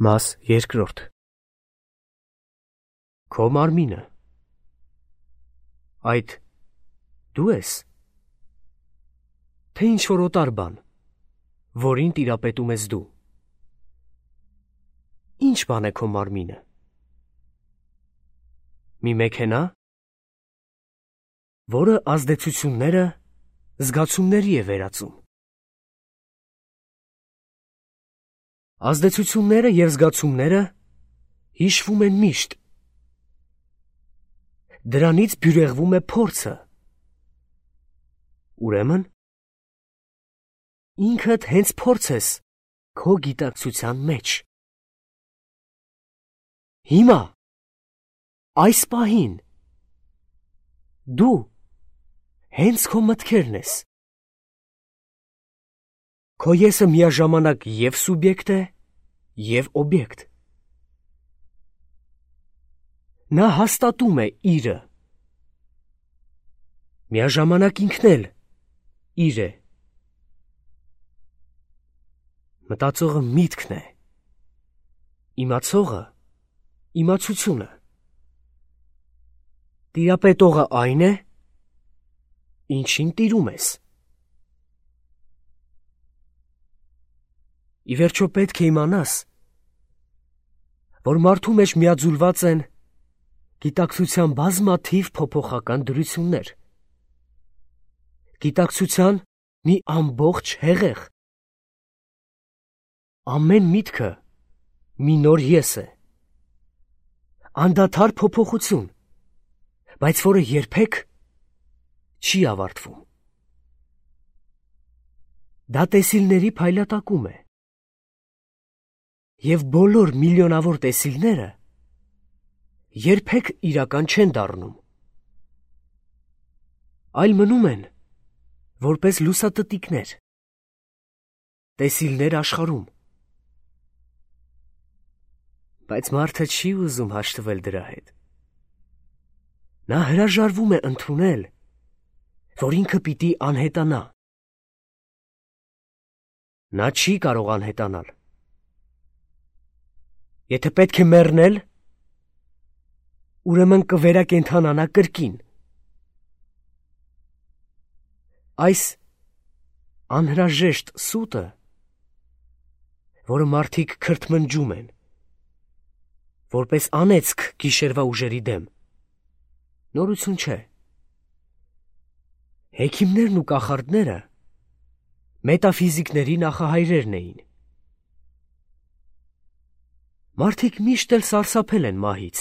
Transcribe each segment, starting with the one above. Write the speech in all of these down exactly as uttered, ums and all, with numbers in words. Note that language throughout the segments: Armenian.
Մաս երկրորդ Քո մարմինը այդ դու ես, թե ինչ-որ օտար բան, որին տիրապետում ես դու։ Ինչ բան է քո մարմինը։ Մի մեքենա, որը ազդեցությունները զգացումների է վերածում։ Ազդեցությունները և զգացումները հիշվում են միշտ։ Դրանից բյուրեղվում է փորձը։ Ուրեմն, ինքդ հենց փորձ ես քո գիտակցության մեջ։ Հիմա, այս պահին, դու հենց քո մտքերն ես։ Քո եսը միաժամանակ և սուբյեկտ է, և օբյեկտ։ Նա հաստատում է իրը։ Միաժամանակ ինքն էլ իր է։ Մտածողը միտքն է, իմացողը իմացությունը։ Տիրապետողը այն է, ինչին տիրում ես։ Ի վերջո պետք է իմանաս, որ մարդու մեջ միաձուլված են գիտակցության բազմաթիվ փոփոխական դրություններ։ Գիտակցության մի ամբողջ հեղեղ։ Ամեն միտքը մի նոր ես է։ Անդադար փոփոխություն, բայց որը երբեք չի ավարտվում։ Դա տեսիլների փայլատակում է։ Եվ բոլոր միլիոնավոր տեսիլները երբեք իրական չեն դառնում, այլ մնում են որպես լուսատտիկներ, տեսիլներ աշխարհում։ Բայց մարդը չի ուզում հաշտվել դրա հետ։ Նա հրաժարվում է ընդունել, որ ինքը պիտի անհետանա։ Նա չի կարող անհետանալ։ Եթե պետք է մեռնել, ուրեմն կվերակենդանանա կրկին։ Այս անհրաժեշտ սուտը, որը մարդիկ քրթմնջում են, որպես անեծք գիշերվա ուժերի դեմ, նորություն չէ։ Հեքիմներն ու կախարդները մետաֆիզիկների նախահայրերն էին։ Մարդիկ միշտ էլ սարսափել են մահից։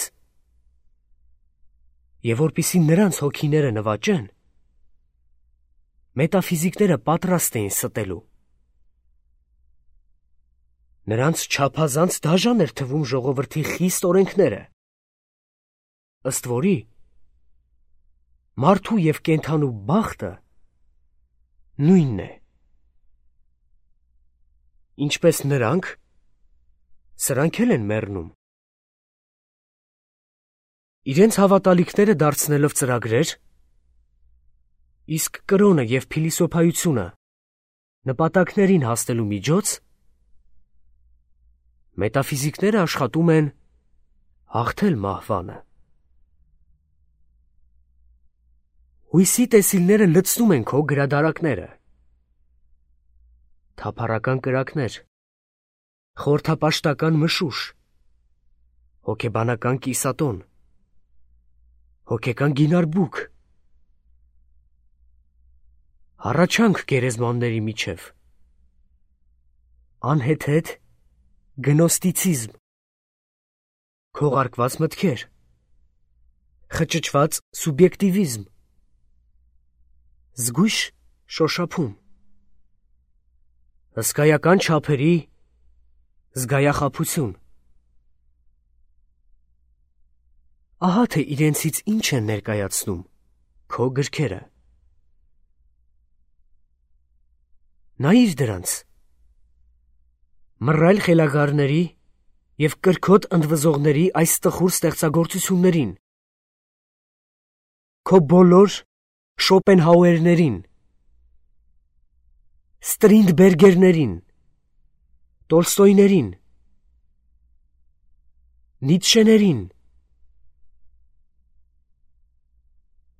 Եվ որպեսզի նրանց հոգիները նվաճեն, մետաֆիզիկները պատրաստ էին ստելու։ Նրանց չափազանց դաժան էր թվում ժողովրդի խիստ օրենքները, ըստ որի մարդու և կենդանու բախտը նույնն է։ Ինչպես նրանք, սրանք էլ են մեռնում։ Իրենց հավատալիքները դարձնելով ծրագրեր, իսկ կրոնը և փիլիսոփայությունը նպատակներին հասնելու միջոց, մետաֆիզիկները աշխատում են հաղթել մահվանը։ Հույսի տեսիլները լցնում են քո գրադարակները։ Թափառական կրակներ, խորհրդապաշտական մշուշ, հոգեբանական կիսատոն, հոգեկան գինարբուք, հառաչանք գերեզմանների միջև, անհեթեթ գնոստիցիզմ, քողարկված մտքեր, խճճված սուբյեկտիվիզմ, զգույշ շոշափում, հսկայական չափերի զգայախաբություն։ Ահա թե իրենցից ինչ են ներկայացնում քո գրքերը։ Նայիր դրանց։ Մռայլ խելագարների և կրքոտ ընդվզողների այս տխուր ստեղծագործություններին։ Քո բոլոր Շոպենհաուերներին, Ստրինդբերգերներին, Տոլստոյներին, Նիցշեներին։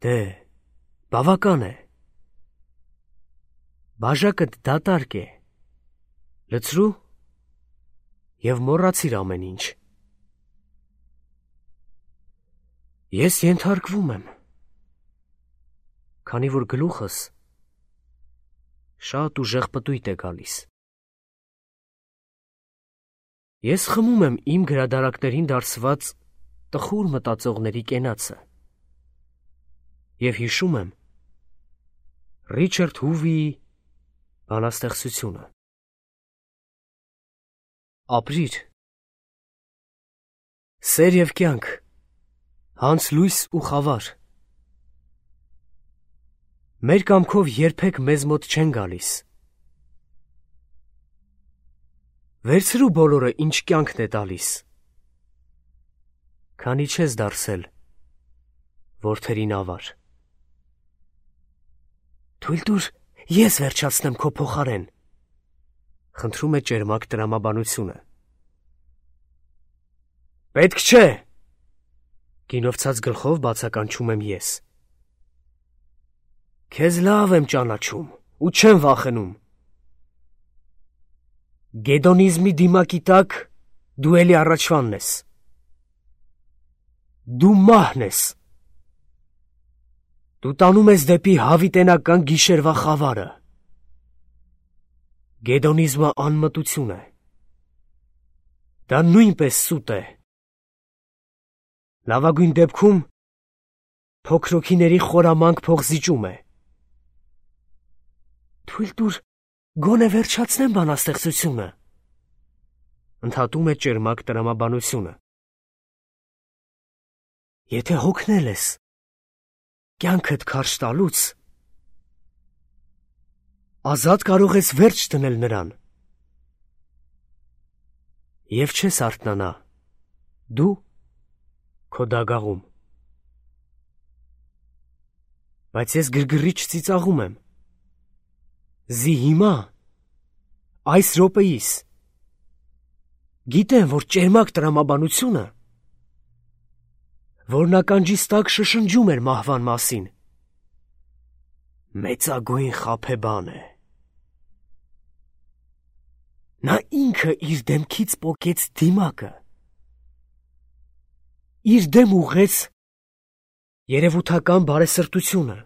Դե, բավական է։ Բաժակդ դատարկ է։ Լցրու և մոռացիր ամեն ինչ։ Ես ենթարկվում եմ, քանի որ գլուխս շատ ուժեղ պտույտ է գալիս։ Ես խմում եմ իմ գրադարակներին դարսված տխուր մտածողների կենացը և հիշում եմ Ռիչարդ Հուվիի բանաստեղծությունը։ Ապրիր, սեր և կյանք, հանց լույս ու խավար, մեր կամքով երբեք մեզ մոտ չեն գալիս։ Վերցրու բոլորը, ինչ կյանքն է տալիս, քանի չես դարձել որդերին ավար։ Թույլ տուր ես վերջացնեմ քո փոխարեն, խնդրում է ճերմակ տրամաբանությունը։ Պետք չէ, գինովցած գլխով բացականչում եմ ես։ Քեզ լավ եմ ճանաչում ու չեմ վախենում։ Գեդոնիզմի դիմակի տակ դու էլի առաջվանն ես։ Դու մահն ես։ Դու տանում ես դեպի հավիտենական գիշերվա խավարը։ Գեդոնիզմը անմտություն է։ Դա նույնպես սուտ է։ Լավագույն դեպքում փոքրոքիների խորամանկ փողզիջում է։ Թույլ տուր գոնե վերջացնեմ բանաստեղծությունը, ընդհատում է ճերմակ տրամաբանությունը։ Եթե հոգնել ես կյանքդ քարշ տալուց, ազատ կարող ես վերջ դնել նրան և չես արթնանա դու քո դագաղում։ Բայց ես գրգռիչ ծիծաղում եմ։ Զի հիմա, այս րոպեիս, գիտեմ, որ ճերմակ տրամաբանությունը, որն ականջիս տակ շշնջում էր մահվան մասին, մեծագույն խաբեբան է։ Նա ինքը իր դեմքից պոկեց դիմակը, իր դեմ ուղղեց երևութական բարեսրտությունը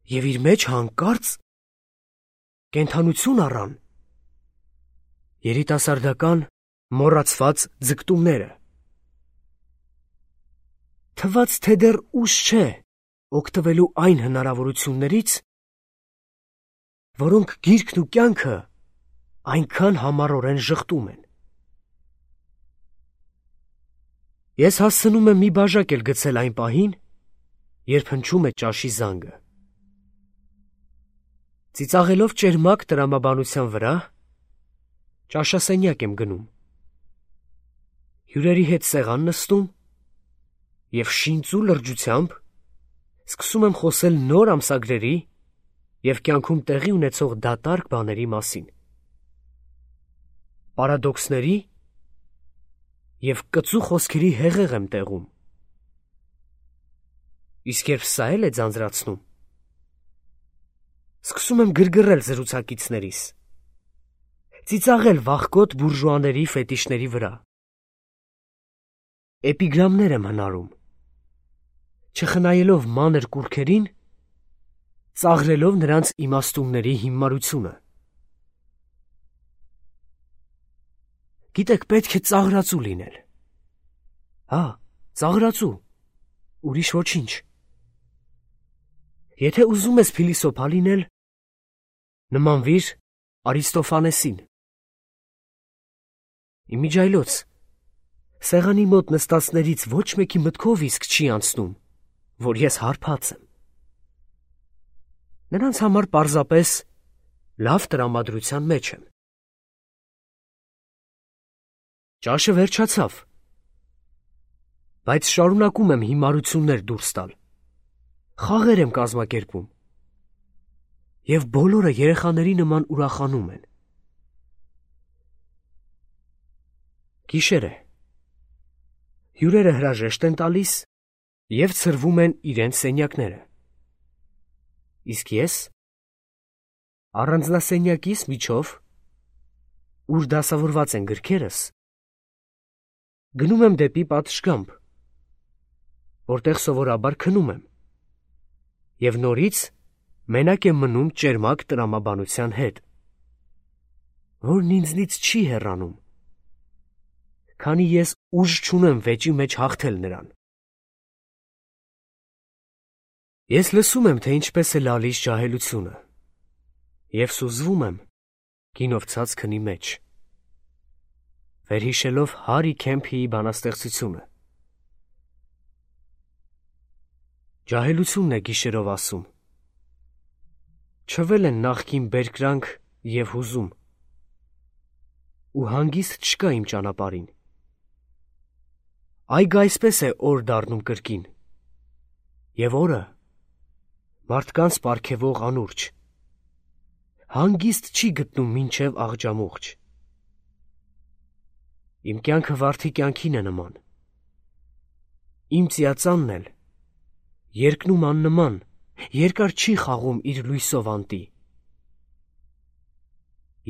և իր մեջ հանկարծ կենդանություն առան երիտասարդական մոռացված ձգտումները։ Թվաց, թե դեռ ուշ չէ օգտվելու այն հնարավորություններից, որոնք գիրքն ու կյանքը այնքան համառորեն ժխտում են։ Ես հասցնում եմ մի բաժակ էլ գցել այն պահին, երբ հնչում է ճաշի զանգը։ Ծիծաղելով ճերմակ տրամաբանության վրա, ճաշասենյակ եմ գնում։ Հյուրերի հետ սեղան նստում և շինծու լրջությամբ սկսում եմ խոսել նոր ամսագրերի և կյանքում տեղի ունեցող դատարկ բաների մասին, պարադոքսների և կծու խոսքերի հեղեղ եմ տեղում։ Իսկ երբ սա էլ է ձանձրացնում, սկսում եմ գրգռել զրուցակիցներիս, ծիծաղել վախկոտ բուրժուաների ֆետիշների վրա։ Էպիգրամներ եմ հնարում, չխնայելով մանր կուռքերին, ծաղրելով նրանց իմաստունների հիմարությունը։ Գիտեք, պետք է ծաղրածու լինել։ Հա, ծաղրածու, ուրիշ ոչինչ։ Եթե ուզում ես փիլիսոփա լինել, նմանվիր Արիստոֆանեսին։ Իմիջայլոց, սեղանի մոտ նստածներից ոչ մեկի մտքով իսկ չի անցնում, որ ես հարբած եմ։ Նրանց համար պարզապես լավ տրամադրության մեջ եմ։ Ճաշը վերջացավ, բայց շարունակում եմ հիմարություններ դուրս տալ, խաղեր եմ կազմակերպում, և բոլորը երեխաների նման ուրախանում են։ Գիշեր է։ Հյուրերը հրաժեշտ են տալիս և ցրվում են իրենց սենյակները։ Իսկ ես առանձնասենյակիս միջով, ուր դասավորված են գրքերս, գնում եմ դեպի պատշգամբ, որտեղ սովորաբար քնում եմ, և նորից մենակ եմ մնում ճերմակ տրամաբանության հետ, որն ինձնից չի հեռանում, քանի ես ուժ չունեմ վեճի մեջ հաղթել նրան։ Ես լսում եմ, թե ինչպես է լալիս ջահելությունը, և սուզվում եմ գինով ցած քնի մեջ, վերհիշելով Հարի Քեմփիի բանաստեղծությունը. ջահելությունն է գիշերով ասում. չվել են նախկին բերկրանք և հուզում, ու հանգիստ չկա իմ ճանապարհին։ Այգը այսպես է օր դառնում կրկին, և օրը մարդկանց պարգևող անուրջը, հանգիստ չի գտնում մինչև աղջամուղջ։ Իմ կյանքը վարդի կյանքին է նման, իմ ծիածանն էլ երկնում աննման, երկար չի խաղում իր լույսով անտի։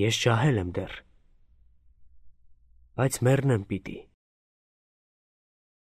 Ես ջահել եմ դեռ, բայց մեռնեմ պիտի։